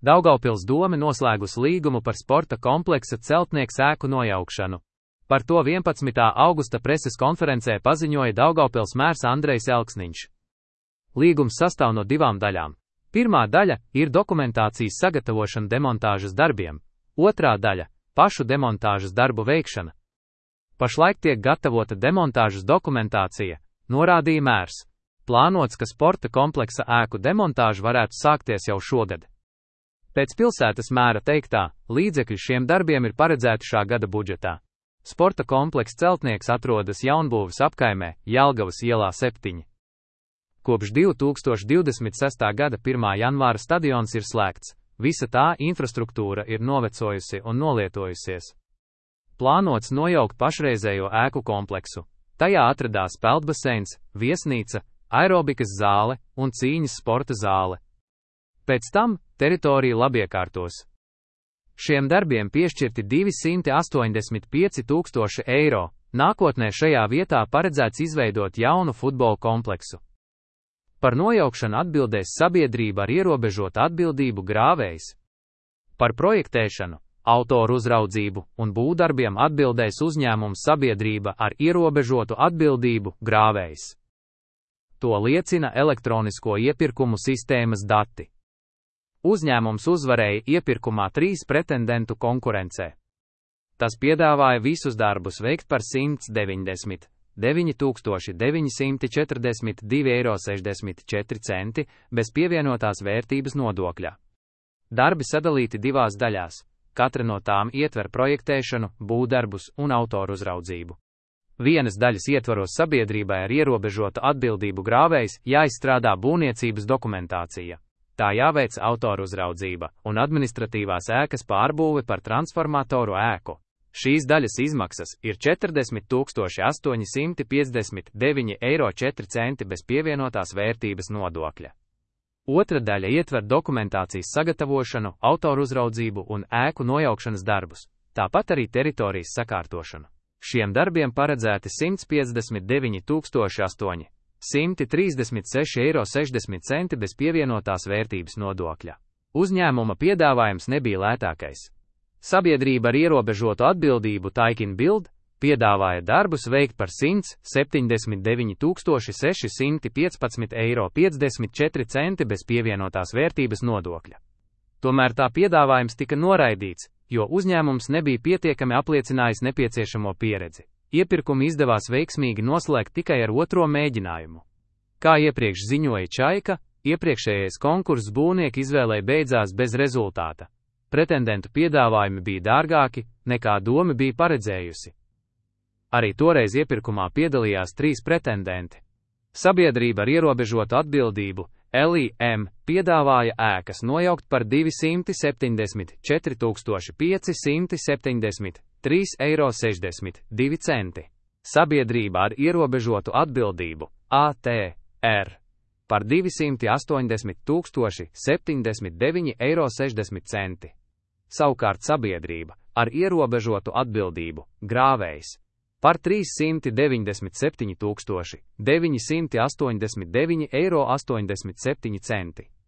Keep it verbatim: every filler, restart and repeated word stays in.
Daugavpils dome noslēgusi līgumu par sporta kompleksa Celtnieks ēku nojaukšanu. Par to vienpadsmitā augusta preses konferencē paziņoja Daugavpils mērs Andrejs Elksniņš. Līgums sastāv no divām daļām. Pirmā daļa ir dokumentācijas sagatavošana demontāžas darbiem, otrā daļa – pašu demontāžas darbu veikšana. Pašlaik tiek gatavota demontāžas dokumentācija, norādīja mērs. Plānots, ka sporta kompleksa ēku demontāža varētu sākties jau šogad. Pēc pilsētas mēra teiktā, līdzekļi šiem darbiem ir paredzēti šā gada budžetā. Sporta komplekss Celtnieks atrodas Jaunbūves apkaimē, Jelgavas ielā septiņi. Kopš divi tūkstoši divdesmit sestā gada pirmā janvāra stadions ir slēgts, visa tā infrastruktūra ir novecojusi un nolietojusies. Plānots nojaukt pašreizējo ēku kompleksu. Tajā atradās peldbaseins, viesnīca, aerobikas zāle un cīņas sporta zāle. Pēc tam teritorija labiekārtos. Šiem darbiem piešķirti divsimt astoņdesmit pieci tūkstoši eiro, nākotnē šajā vietā paredzēts izveidot jaunu futbola kompleksu. Par nojaukšanu atbildēs sabiedrība ar ierobežotu atbildību Grāvējs. Par projektēšanu, autoru uzraudzību un būvdarbiem atbildēs uzņēmums sabiedrība ar ierobežotu atbildību Grāvējs. To liecina elektronisko iepirkumu sistēmas dati. Uzņēmums uzvarēja iepirkumā trīs pretendentu konkurencē. Tas piedāvāja visus darbus veikt par simt deviņdesmit deviņi tūkstoši deviņsimt četrdesmit divi eiro sešdesmit četri centi bez pievienotās vērtības nodokļa. Darbi sadalīti divās daļās, katra no tām ietver projektēšanu, būvdarbus un autoru uzraudzību. Vienas daļas ietvaros sabiedrībai ar ierobežotu atbildību Grāvējs jāizstrādā būvniecības dokumentācija. Tā jāveic autoru uzraudzība un administratīvās ēkas pārbūve par transformatoru ēku. Šīs daļas izmaksas ir četrdesmit tūkstoši astoņi simti piecdesmit deviņi eiro četri centi bez pievienotās vērtības nodokļa. Otra daļa ietver dokumentācijas sagatavošanu, autoru uzraudzību un ēku nojaukšanas darbus, tāpat arī teritorijas sakārtošanu. Šiem darbiem paredzēti simt piecdesmit deviņi tūkstoši astoņi simti trīsdesmit seši eiro sešdesmit centi bez pievienotās vērtības nodokļa. Uzņēmuma piedāvājums nebija lētākais. Sabiedrība ar ierobežotu atbildību Taikin Bild piedāvāja darbus veikt par simt septiņdesmit deviņi tūkstoši seši simti piecpadsmit eiro piecdesmit četri centi bez pievienotās vērtības nodokļa. Tomēr tā piedāvājums tika noraidīts, jo uzņēmums nebija pietiekami apliecinājis nepieciešamo pieredzi. Iepirkumu izdevās veiksmīgi noslēgt tikai ar otro mēģinājumu. Kā iepriekš ziņoja Čaika, iepriekšējais konkurss būvnieku izvēlei beidzās bez rezultāta. Pretendentu piedāvājumi bija dārgāki, nekā doma bija paredzējusi. Arī toreiz iepirkumā piedalījās trīs pretendenti. Sabiedrība ar ierobežotu atbildību, L I M, piedāvāja ēkas nojaukt par divsimt septiņdesmit četri tūkstoši pieci simti septiņdesmit trīs eiro sešdesmit divi centi. Sabiedrība ar ierobežotu atbildību, A T R, par divsimt astoņdesmit tūkstoši septiņdesmit deviņi eiro sešdesmit centi. Savukārt sabiedrība ar ierobežotu atbildību, Grāvējs, par trīssimt deviņdesmit septiņi tūkstoši deviņi simti astoņdesmit deviņi eiro astoņdesmit septiņi centi.